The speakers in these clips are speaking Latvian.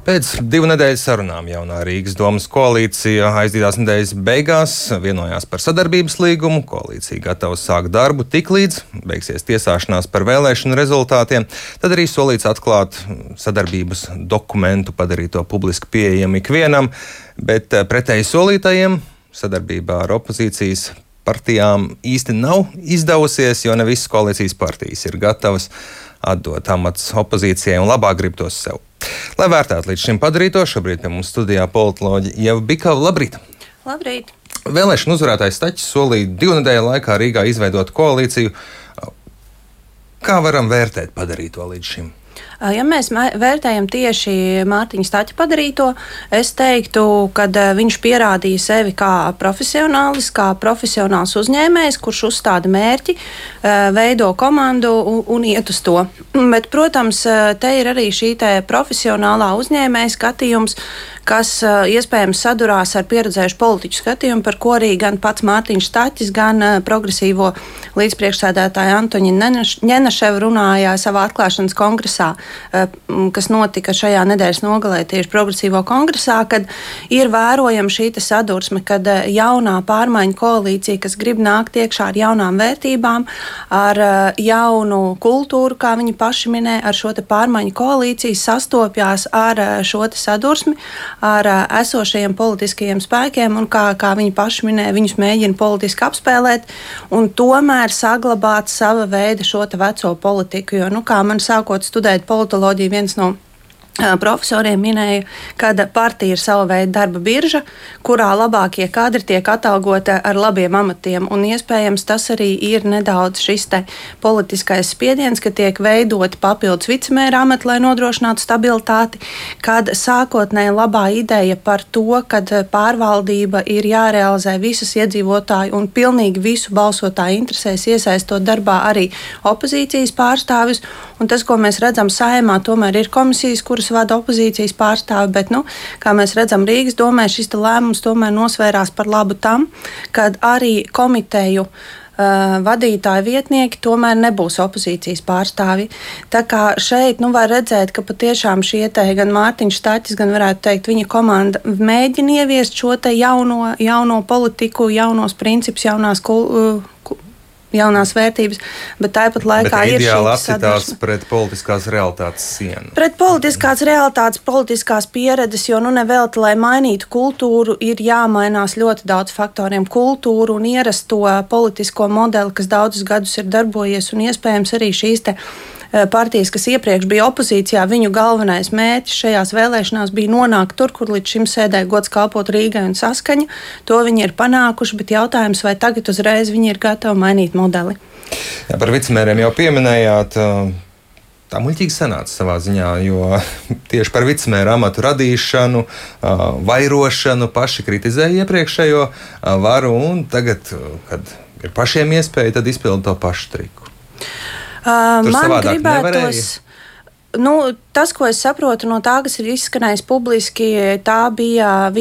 Pēc 2 nedēļu sarunām jaunā Rīgas domas koalīcija aizdītās nedēļas beigās vienojās par sadarbības līgumu. Koalīcija gatava sākt darbu tiklīdz beigsies tiesāšanās par vēlēšanu rezultātiem. Tad arī solīts atklāt sadarbības dokumentu, padarīt to publiski pieejamu ikvienam, bet pretēji solītajiem sadarbībā ar opozīcijas partijām īsti nav izdevusies, jo ne visas koalīcijas partijas ir gatavas atdot amats opozīcijai un labāk grib tos sev. Lai vērtētu līdz šim padarīto, šobrīd pie mums studijā politoloģe Ieva Bikava. Labrīt! Labrīt! Vēlēšanu uzvarētājs Staķis solīja 2 nedēļu laikā Rīgā izveidot koalīciju. Kā varam vērtēt padarīto līdz šim? Ja mēs vērtējam tieši Mārtiņa Staķa padarīto, es teiktu, ka viņš pierādīja sevi kā profesionālis, kā profesionāls uzņēmējs, kurš uzstāda mērķi, veido komandu un iet uz to. Bet, protams, te ir arī šī profesionālā uzņēmēja skatījums, kas iespējams sadurās ar pieredzējušu politiķu skatījumu, par ko arī gan pats Mārtiņš Staķis, gan progresīvo līdzpriekšsēdētāja Antoņina Ņenaševa runāja savā atklāšanas kongresā, kas notika šajā nedēļas nogalē tieši progresīvo kongresā, kad ir vērojama šī sadursme, kad jaunā pārmaiņu koalīcija, kas grib nākt iekšā ar jaunām vērtībām, ar jaunu kultūru, kā viņi paši minē, ar šo pārmaiņu koalīciju sastopjās ar šo sadursmi, ar esošajiem politiskajiem spēkiem, un kā viņi paši minē, viņus mēģina politiski apspēlēt un tomēr saglabāt sava veida šo veco politiku. Jo, kā man sākot studēt politoloģiju, viens no profesoriem minēja, ka partija ir sava veida darba birža, kurā labākie kadri tiek atalgoti ar labiem amatiem. Un iespējams tas arī ir nedaudz šis politiskais spiediens, ka tiek veidoti papildus vicemēra amati, lai nodrošinātu stabilitāti, kad sākotnēji labā ideja par to, ka pārvaldība ir jārealizē visas iedzīvotāju un pilnīgi visu balsotāju interesēs, iesaistot darbā arī opozīcijas pārstāvis. Un tas, ko mēs redzam Saeimā, tomēr ir komisijas, kuras vada opozīcijas pārstāvi, bet, kā mēs redzam Rīgas domē, šis lēmums tomēr nosvērās par labu tam, kad arī komiteju vadītāju vietnieki tomēr nebūs opozīcijas pārstāvi. Tā kā šeit var redzēt, ka patiešām šie gan Mārtiņš Staķis, gan varētu teikt, viņa komanda mēģina ieviest šo jauno politiku, jaunos principus, jaunās vērtības, bet tāpat laikā ir šī sadursme pret politiskās realitātes sienu. Pret politiskās realitātes, politiskās pieredzes, jo nevelti, lai mainītu kultūru, ir jāmainās ļoti daudz faktoriem. Kultūru un ierasto politisko modeli, kas daudzus gadus ir darbojies, un iespējams arī šīs partijas, kas iepriekš bija opozīcijā, viņu galvenais mērķis šajās vēlēšanās bija nonākt tur, kur līdz šim sēdēja gods kalpot Rīgai un Saskaņa. To viņi ir panākuši, bet jautājums, vai tagad uzreiz viņi ir gatavi mainīt modeli. Jā, par vicemēriem jau pieminējāt. Tā muļķīgi sanāca savā ziņā, jo tieši par vicemēra amatu radīšanu, vairošanu paši kritizēja iepriekšējo varu, un tagad, kad ir pašiem iespēja, tad izpilda to pašu triku. Man gribētos, tas, ko es saprotu no tā, kas ir izskanējis publiski, tas bija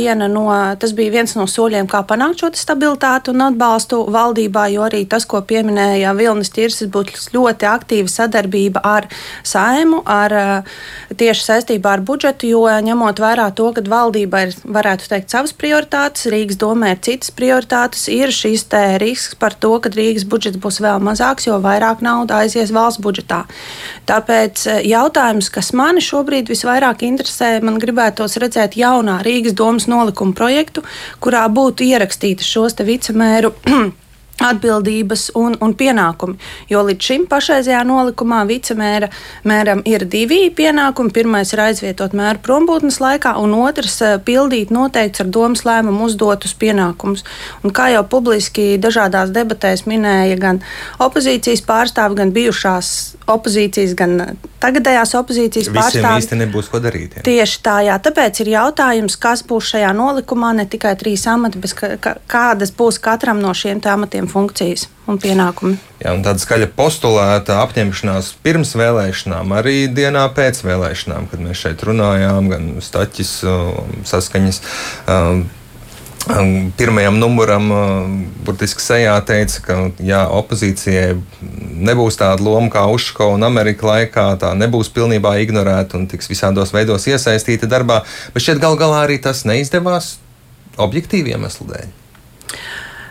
viens no soļiem, kā panākt šo stabilitāti un atbalstu valdībā, jo arī tas, ko pieminēja Vilnis Ķirsis, būtu ļoti aktīva sadarbība ar Saeimu, tieši saistībā ar budžetu, jo ņemot vērā to, ka valdība ir, varētu teikt, savas prioritātes, Rīgas domē ir citas prioritātes, ir šis risks par to, ka Rīgas budžets būs vēl mazāks, jo vairāk nauda aizies valsts budžetā. Tāpēc jautājums, kas mani šobrīd visvairāk interesē, man gribētos redzēt jaunā Rīgas domas nolikuma projektu, kurā būtu ierakstītas šos vicemēru atbildības un pienākumi. Jo līdz šim pašreizajā nolikumā vicemēram ir 2 pienākumi. Pirmais ir aizvietot mēru prombūtnes laikā, un otrs pildīt noteikts ar domas lēmumu uzdotus pienākumus. Un kā jau publiski dažādās debatēs minēja gan opozīcijas pārstāvi, gan bijušās opozīcijas, gan tagadējās opozīcijas pārstāvi. Visiem īsti nebūs ko darīt. Jā. Tieši tā, jā. Tāpēc ir jautājums, kas būs šajā nolikumā, ne tikai 3 amati, bet kādas būs katram no šiem amatiem funkcijas un pienākumi. Jā, un tāda skaļa postulēta apņemšanās pirms vēlēšanām, arī dienā pēc vēlēšanām, kad mēs šeit runājām, gan Staķis, Saskaņas pirmajam numuram burtiski sejā teica, ka jā, opozīcijai nebūs tāda loma kā Uško un Amerika laikā, tā nebūs pilnībā ignorēta un tiks visādos veidos iesaistīta darbā, bet šķiet gal galā arī tas neizdevās objektīvi iemeslu dēļ.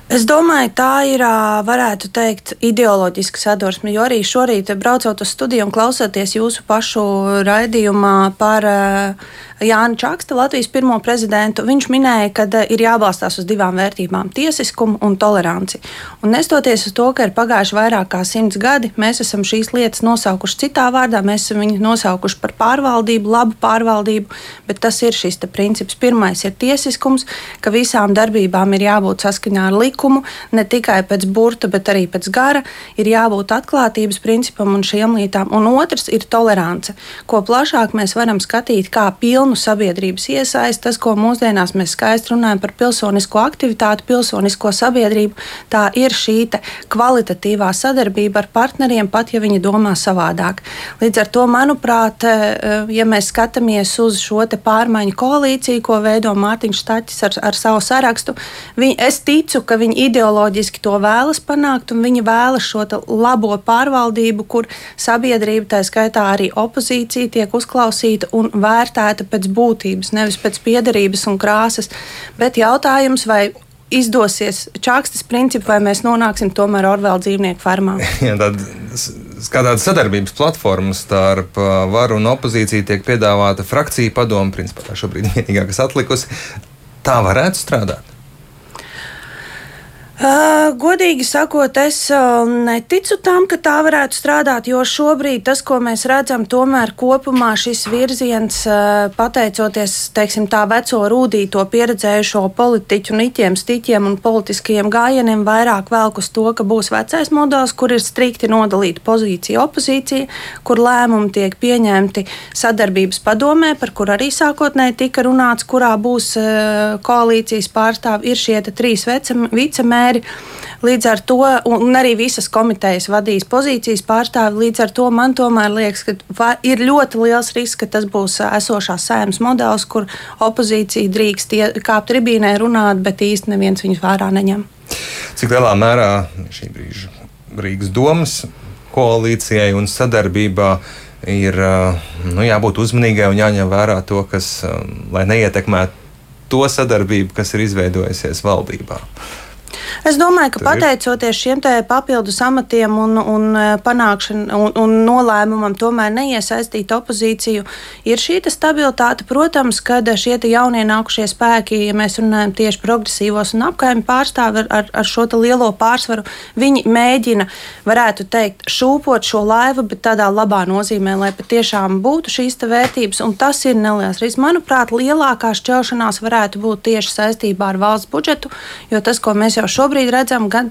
Es domāju, tā ir, varētu teikt, ideoloģiska sadursme, jo arī šorīt, braucot uz studiju un klausoties jūsu pašu raidījumā par Jāni Čakste, Latvijas pirmo prezidentu, viņš minēja, ka ir jābalstās uz divām vērtībām - tiesiskumu un toleranci. Un nestoties uz to, ka ir pagājuši vairāk kā 100 gadi, mēs esam šīs lietas nosaukuši citā vārdā, mēs esam viņu nosaukuši par pārvaldību, labu pārvaldību, bet tas ir šis princips. Pirmais ir tiesiskums, ka visām darbībām ir jābūt saskaņā ar likumu, ne tikai pēc burta, bet arī pēc gara, ir jābūt atklātības principam un šiem lietām. Un otrs ir tolerance, ko plašāk mēs varam skatīt kā pilnu sabiedrības iesaisti. Tas, ko mūsdienās mēs skaisti runājam par pilsonisko aktivitāti, pilsonisko sabiedrību, tā ir šī kvalitatīvā sadarbība ar partneriem, pat ja viņi domā savādāk. Līdz ar to, manuprāt, ja mēs skatāmies uz šo pārmaiņu koalīciju, ko veido Mārtiņš Staķis ar savu sarakstu, es ticu, ka viņi ideoloģiski to vēlas panākt, un viņi vēlas šo labo pārvaldību, kur sabiedrība, tā skaitā arī opozīcija, tiek uzklausīta un vērtēta pēc būtības, nevis pēc piederības un krāsas. Bet jautājums, vai izdosies Čakstes principu, vai mēs nonāksim tomēr Orvela dzīvnieku fermā? Kā tāda sadarbības platforma starp varu un opozīciju tiek piedāvāta frakcija padome, principā tā šobrīd vienīgā, kas atlikusi. Tā varētu strādāt? Godīgi sakot, es neticu tam, ka tā varētu strādāt, jo šobrīd tas, ko mēs redzam, tomēr kopumā šis virziens, pateicoties, teiksim, tā veco rūdīto pieredzējušo politiķu niķiem, stiķiem un politiskajiem gājieniem, vairāk velk uz to, ka būs vecais modelis, kur ir strikti nodalīta pozīcija opozīcija, kur lēmumi tiek pieņemti sadarbības padomē, par kur arī sākotnēji tika runāts, kurā būs koalīcijas pārstāvi, ir šie 3 vicemēri. Līdz ar to, un arī visas komitejas vadīs pozīcijas pārstāvi, līdz ar to man tomēr liekas, ka ir ļoti liels risks, ka tas būs esošās Saeimas modelis, kur opozīcija drīkst kāpt tribīnē runāt, bet īsti neviens viņus vērā neņem. Cik lielā mērā šī brīža Rīgas domas koalīcijai un sadarbībā ir jābūt uzmanīgai un jāņem vērā to, kas, lai neietekmētu to sadarbību, kas ir izveidojusies valdībā? Es domāju, ka pateicoties šiem papildus amatiem un panākšanu un nolēmumam tomēr neiesaistīt opozīciju, ir šī stabilitāte. Protams, kad šie jaunie nākušie spēki, ja mēs runājam tieši progresīvos un apkaimju pārstāvi ar šo lielo pārsvaru, viņi mēģina, varētu teikt, šūpot šo laivu, bet tādā labā nozīmē, lai patiešām būtu šīs vērtības, un tas ir neliels risks. Manuprāt, lielākā šķelšanās varētu būt tieši saistībā ar valsts budžetu, jo tas, ko mēs jau šobrīd redzam, gan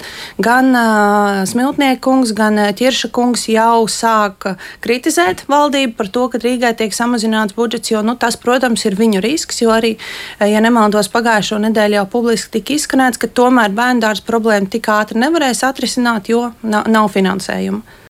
Smiltnieka kungs, gan Ķirša kungs jau sāk kritizēt valdību par to, ka Rīgai tiek samazināts budžets, jo tas, protams, ir viņu risks, jo arī, ja nemaldos, pagājušo nedēļu jau publiski tika izskanēts, ka tomēr bērndārza problēma tik ātri nevarēs atrisināt, jo nav finansējuma.